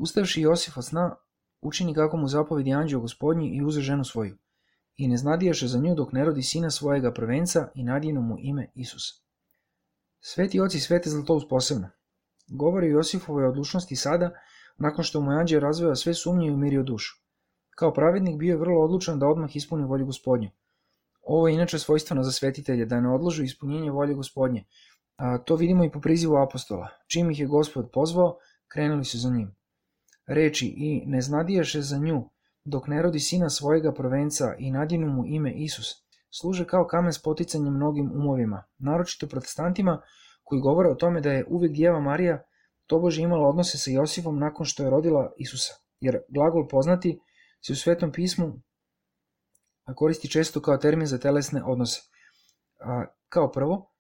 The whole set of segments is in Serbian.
Ustavši Josif od sna, učini kako mu zapovedi anđeo Gospodnji i uze ženu svoju. I ne znadijaše za nju dok ne rodi sina svojega prvenca i nadjenu mu ime Isus. Sveti oci svete Zlatoust posebno govori o Josifovoj odlučnosti sada, nakon što mu je anđeo razveo sve sumnje i umirio dušu. Kao pravednik bio je vrlo odlučan da odmah ispuni volju Gospodnju. Ovo je inače svojstveno za svetitelje, da ne odložu ispunjenje volje Gospodnje. To vidimo i po prizivu apostola. Čim ih je Gospod pozvao, krenuli su za njim. Reči i ne znadijaše za nju dok ne rodi sina svojega prvenca i nadjenu mu ime Isus, služe kao kamen spoticanja mnogim umovima, naročito protestantima koji govore o tome da je uvijek Djeva Marija tobože imala odnose sa Josifom nakon što je rodila Isusa, jer glagol poznati se u Svetom pismu koristi često kao termin za telesne odnose. Kao prvo,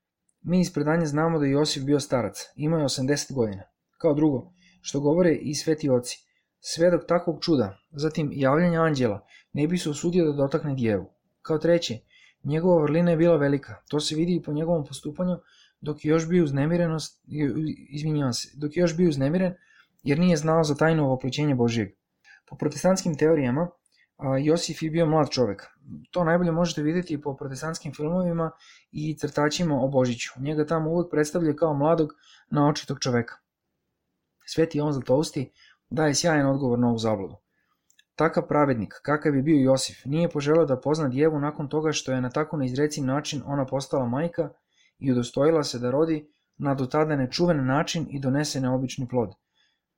mi iz predanja znamo da je Josif bio starac, imao je 80 godina. Kao drugo, što govore i sveti oci, svedok takvog čuda, zatim javljanja anđela, ne bi se usudio da dotakne djevu. Kao treće, njegova vrlina je bila velika, to se vidi i po njegovom postupanju dok je još bio uznemiren jer nije znao za tajno ovoplećenje Božijeg. Po protestantskim teorijama, Josif je bio mlad čovjek. To najbolje možete vidjeti po protestantskim filmovima i crtačima o Božiću. Njega tamo uvijek predstavlja kao mladog, naočitog čovjeka. Sveti Jovan Zlatousti daje sjajan odgovor na ovu zabludu. Takav pravednik, kakav je bio Josif, nije poželio da pozna djevu nakon toga što je na tako neizreciv način ona postala majka i udostojila se da rodi na do tada nečuven način i donese neobični plod.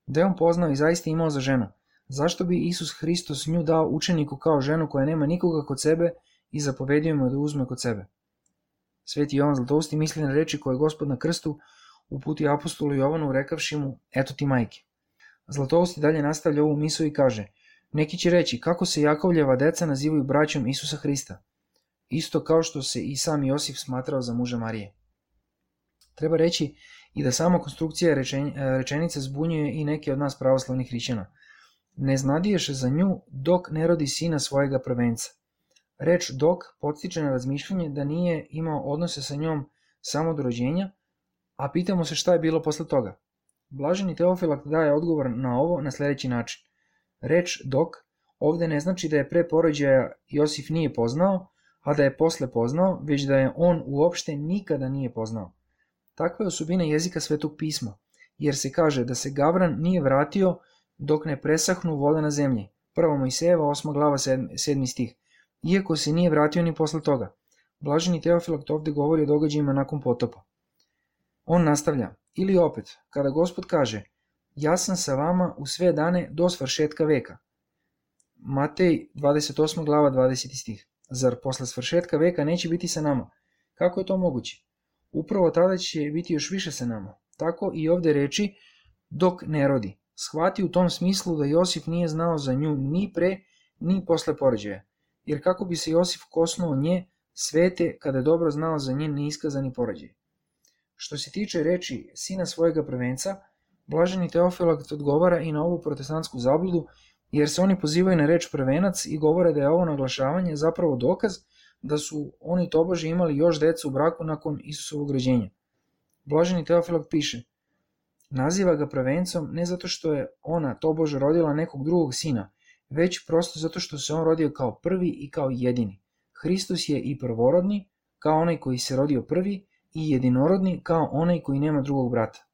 Da je on poznao i zaista imao za ženu, zašto bi Isus Hristos nju dao učeniku kao ženu koja nema nikoga kod sebe i zapovedio mu da uzme kod sebe? Sveti Jovan Zlatousti misli na reči koje je Gospod na krstu uputio apostolu Jovanu rekavši mu, eto ti majke. Zlatousti dalje nastavlja ovu misao i kaže, neki će reći kako se Jakovljeva deca nazivaju braćom Isusa Hrista, isto kao što se i sam Josif smatrao za muža Marije. Treba reći i da sama konstrukcija rečenice zbunjuje i neke od nas pravoslavnih hrišćana. Ne znadiješe za nju dok ne rodi sina svojega prvenca. Reč dok podstiče na razmišljanje da nije imao odnose sa njom samo do rođenja, a pitamo se šta je bilo posle toga. Blaženi Teofilakt daje odgovor na ovo na sljedeći način. Reč dok ovdje ne znači da je pre porođaja Josif nije poznao, a da je posle poznao, već da je on uopšte nikada nije poznao. Takva je osobina jezika Svetog pisma, jer se kaže da se Gavran nije vratio dok ne presahnu vode na zemlji. 1. Mojsejeva 8. glava 7. stih. Iako se nije vratio ni posle toga. Blaženi Teofilakt ovdje govori o događajima nakon potopa. On nastavlja, ili opet, kada Gospod kaže, ja sam sa vama u sve dane do svršetka veka. Matej 28. glava 20. stih. Zar posle svršetka veka neće biti sa nama? Kako je to moguće? Upravo tada će biti još više sa nama. Tako i ovdje reči dok ne rodi. Shvati u tom smislu da Josif nije znao za nju ni pre, ni posle porođaja. Jer kako bi se Josif kosnuo nje svete kada je dobro znao za njen neiskazani porođaj. Što se tiče reči sina svojega prvenca, Blaženi Teofilakt odgovara i na ovu protestantsku zabludu, jer se oni pozivaju na reč prvenac i govore da je ovo naglašavanje zapravo dokaz da su oni tobože imali još decu u braku nakon Isusovog rođenja. Blaženi Teofilakt piše, naziva ga prvencom ne zato što je ona tobože rodila nekog drugog sina, već prosto zato što se on rodio kao prvi i kao jedini. Hristos je i prvorodni, kao onaj koji se rodio prvi, i jedinorodni, kao onaj koji nema drugog brata.